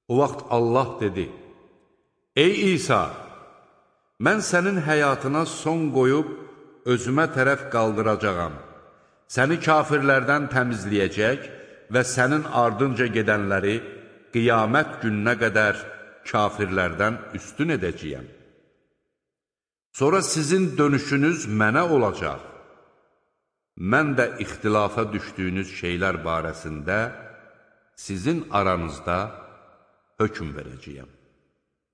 O vaxt Allah dedi, ey İsa, mən sənin həyatına son qoyub, özümə tərəf qaldıracağam, səni kafirlərdən təmizləyəcək və sənin ardınca gedənləri qiyamət gününə qədər kafirlərdən üstün edəcəyəm. Sonra sizin dönüşünüz mənə olacaq. Mən də ixtilafa düşdüyünüz şeylər barəsində sizin aranızda hökm verəcəyəm.